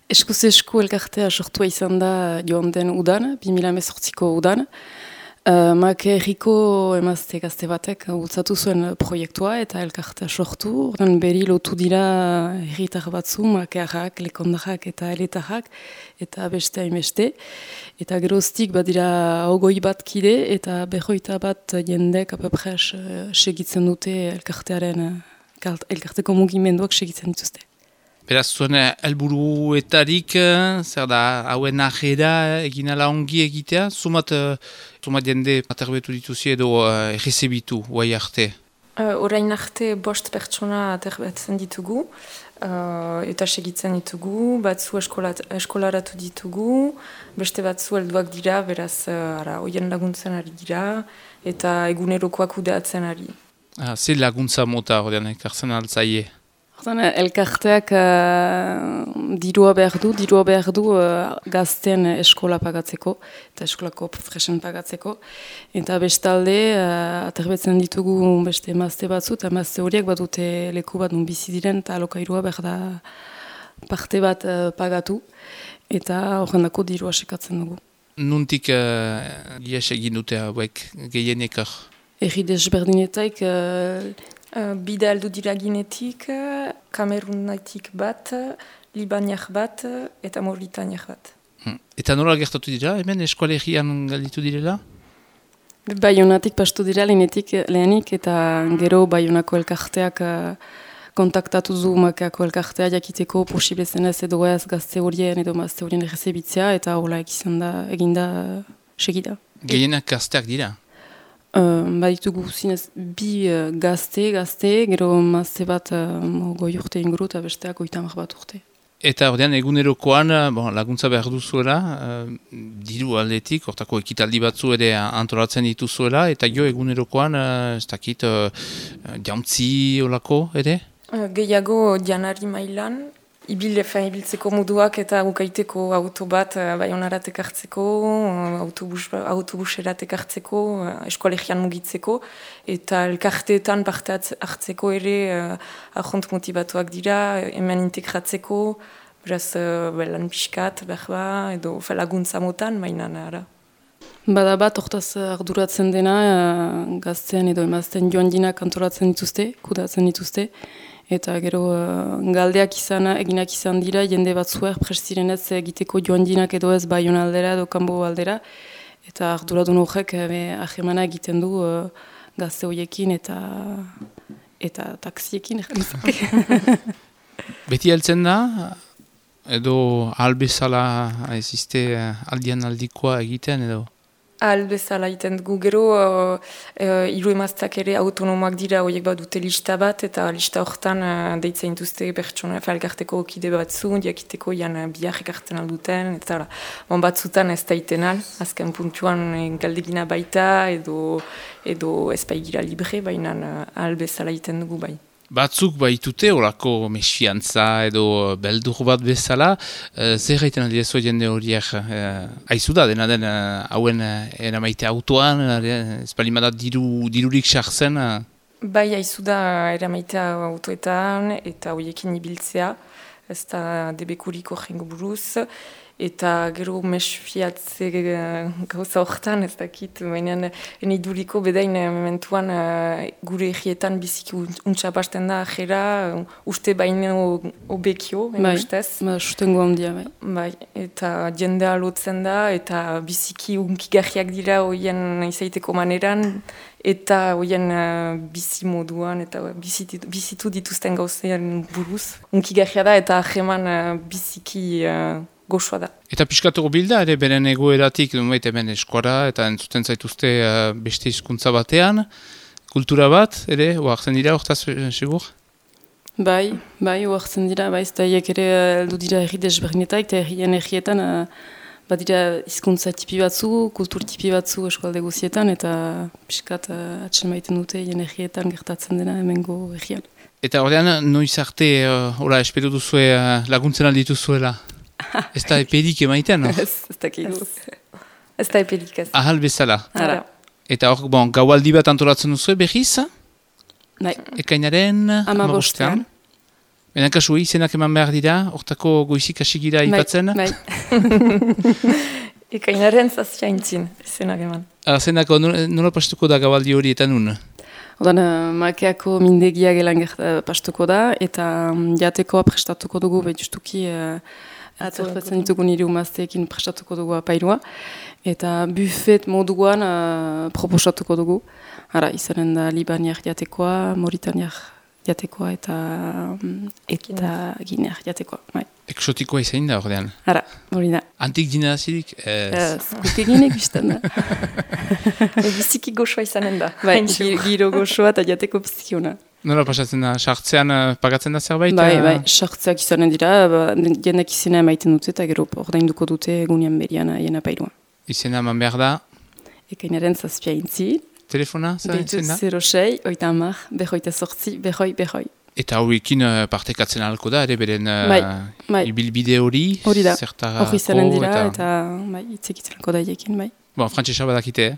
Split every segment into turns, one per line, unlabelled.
Eskuz esku elkartea sortua izan da joan den udan, 2018ko udan. Make herriko emazte gazte batek bultzatu zuen proiektua eta elkartea sortu. Ordan beri lotu dira herritar batzu, makearrak, lekondarrak eta eletarrak, eta beste hainbeste. Eta geroztik badira 20 bat kide eta 21 bat jendek apapres segitzen dute elkarteko mugimenduak segitzen dituzte.
Beraz, zuen helburuetarik, zer da, hauen ajera egin ala ongi egitea, sumat jende aterbetu dituzi edo errezebitu, guai arte?
Orain arte 5 pertsona aterbetzen ditugu, eta segitzen ditugu, batzu eskolaratu ditugu, beste batzu helduak dira, beraz, hoien laguntzen ari dira, eta egunerokoak kudeatzen ari.
Ze laguntza mota horrean ekartzen altzaie?
Elkarteak dirua behar du gazten eskola pagatzeko, eta eskolako fresen pagatzeko. Eta bestalde, aterbetzen ditugu beste emazte batzu, eta emazte horiek badute leku bat bizi diren, eta alokairua behar da parte bat pagatu, eta horrendako dirua sekatzen dugu.
Nuntik ies egin dute hauek gehienekar?
Erri desberdinetaik...
Bida heldu dira Ginetik, Kamerunetik bat, Libaniak bat eta Mauritaniak bat.
Eta nola gertatu dira, hemen eskualegian galditu direla?
Baionatik pastu dira lehenik eta gero Baionako elkarteak kontaktatu du Makeako elkartea jakiteko posible zenez edo ez gazte horien edo mazte horien errezebitzea eta hola eginda segida.
Gehienak gazteak dira?
Baditugu zinez bi gazte, gero mazte bat 20 urte inguru eta besteak 30 bat urte.
Eta ordean egunerokoan laguntza behar duzuela, diru aldetik, hortako ekitaldi batzu ere antolatzen dituzuela, eta jo egunerokoan, ez dakit, jauntzi olako ere?
Gehiago janari mailan, ibiltzeko moduak eta ukaiteko auto bat Baionarat ekartzeko, autobuserat ekartzeko, eskolegian mugitzeko, eta elkarteetan parte hartzeko ere ahont motibatuak dira, hemen integratzeko, beraz lan pixkat, berba, edo laguntza motan, mainan ara.
Bada bat, hortaz arduratzen dena, gazten edo emazten joan dinak antolatzen dituzte, kudatzen dituzte, eta gero galdeak eginak izan dira, jende batzuer prestirenez egiteko joan dinak edo ez Baiona aldera edo kanbo aldera, eta arduradun horrek ahemana egiten du gazte horiekin eta taksiekin.
Beti heltzen da, edo albezala eziste aldian aldikoa egiten edo?
Albezala egiten dugu gero, hiru emaztak ere autonomoak dira, horiek bat dute lista bat, eta lista horretan deitzen dituzte pertsona elkarteko kide batzu, jakiteko biak ekartzen alduten, eta batzutan ez da iten azken puntuan galdegina baita, edo ez baigira libre, baina albezala egiten dugu bai.
Batzuk baitute horako mesfiantza edo beldur bat bezala, zer gaiten aldiezu jende horiek haizu da, dena den hauen eramaite autoan, ez balimadat dirurik sartzen?
Bai haizu da eramaite autoetan eta horiekin ibiltzea, ez da debekurik horrengo buruz, eta gero mesfiatze gauza horretan, ez dakit, baina eniduriko bedain mementuan gure egietan biziki untxapasten da ajera, uste baino obekio, ustez.
Bai, sustengo handia, bai.
Bai, eta jendea lotzen da, eta biziki unkigarriak dira hoien izaiteko maneran, eta hoien bizi moduan, eta bizitu dituzten gauzean buruz. Unkigarria da, eta ajeman biziki... goxoa da.
Eta piskatuko bilda, ere beren egoeratik, hemen eskora, eta entzuten zaituzte beste hizkuntza batean, kultura bat, ere, oartzen dira, hortaz, segur?
Bai, oartzen dira, bai, eta hiek ere aldu dira erri desberdinetak, eta errietan badira hizkuntza tipi batzu, kultur tipi batzu eskualde guzietan, eta piskat atxen maiten dute errietan gertatzen dena hemengo errian.
Eta horrean, noiz arte, espero duzue laguntzen aldituzuela? Ez da eperik emaiten, no?
Ez dakigu. Ez da eperik ez.
Ahal bezala.
Ara.
Eta hor, gaualdi bat antolatzen duzu behiz?
Bai.
Ekainaren...
15.
Benen kasu izenak eman behar dira, hortako goizik hasigira ipatzen?
Bai. Ekainaren zazpiaintzin, izenak eman.
Zenako, nola pastuko da gabaldi hori eta nun?
Odan, makeako mindegia gelan pastuko da, eta jatekoa prestatuko dugu, justuki atzerpetzen ditugu nire umazteekin prestatuko dugu apairua, eta buffet moduan proposatuko dugu. Hara, izanen da Libaniak jatekoa, Mauritaniak jatekoa eta Gineak jatekoa. Bai.
Eksotikoa izain da ordean?
Hara, hori da.
Antik dina zirik?
Guk eginek bizten da.
Biziki goxoa izanen da.
Bai, giro goxoa eta jateko bizkiona.
Nola pasatzen da, sartzean pagatzen da zerbait?
Bai, sartzeak izanen dira, jendak izena emaiten dute eta gero ordainduko dute egunean berian jena pairua.
Izena eman behar da?
Ekainaren zazpiaintzi.
Telefona?
Deitu 06, 38, behoi.
Eta horrekin partekatzen ahalko da, ere beren ibilbide hori?
Hori da, hori izanen dira eta itzekitzen da iekin, bai.
Bon, frantzesa badakite,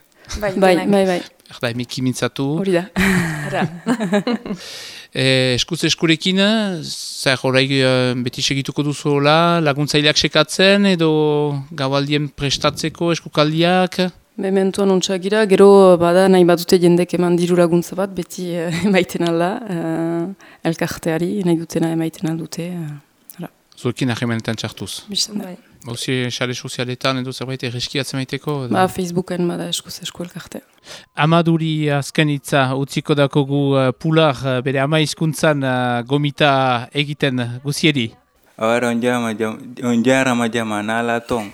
Bai.
Erda, emeki mintzatu.
Hori da.
Eskuz eskurekin, zer horai beti segituko duzuela, laguntzaileak sekatzen edo gabaldien prestatzeko eskukaldiak?
Mementuan ontsagira, gero bada nahi badute jendek eman diru laguntza bat, beti emaiten alda, elkarteari nahi dutena emaiten aldute.
Zuekin ahimenetan txartuz?
Bistan da.
Hauzi, xare sozialetan edo zerbait erreskiatzen maiteko?
Facebooken bada eskuz esku elkartea.
Amaduri azken hitza utziko dakogu pular bere ama hizkuntzan gomita egiten guzieri?
Ahora onjara majama nala tong.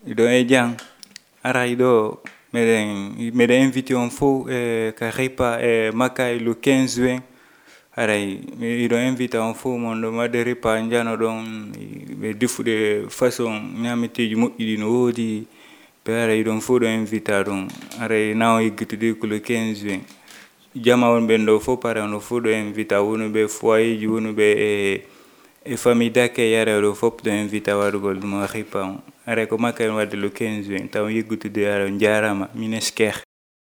Ido ejang. Ara ido mede invité en faux karipa maka le 15 juin. Ara ido invité en faux mondo maderi panjano don be difu de façon nyamete jumo idino odi pere ido en faux do invité don. Ara now igitude ko le 15 juin. Jama on bendo faux para on faux do invité wono be foyer wono be e famille d'accueil yare do fop do invité warugol mo ripa. Are ko makay wadde le 15 juin taw yeggutude ara jarama minesker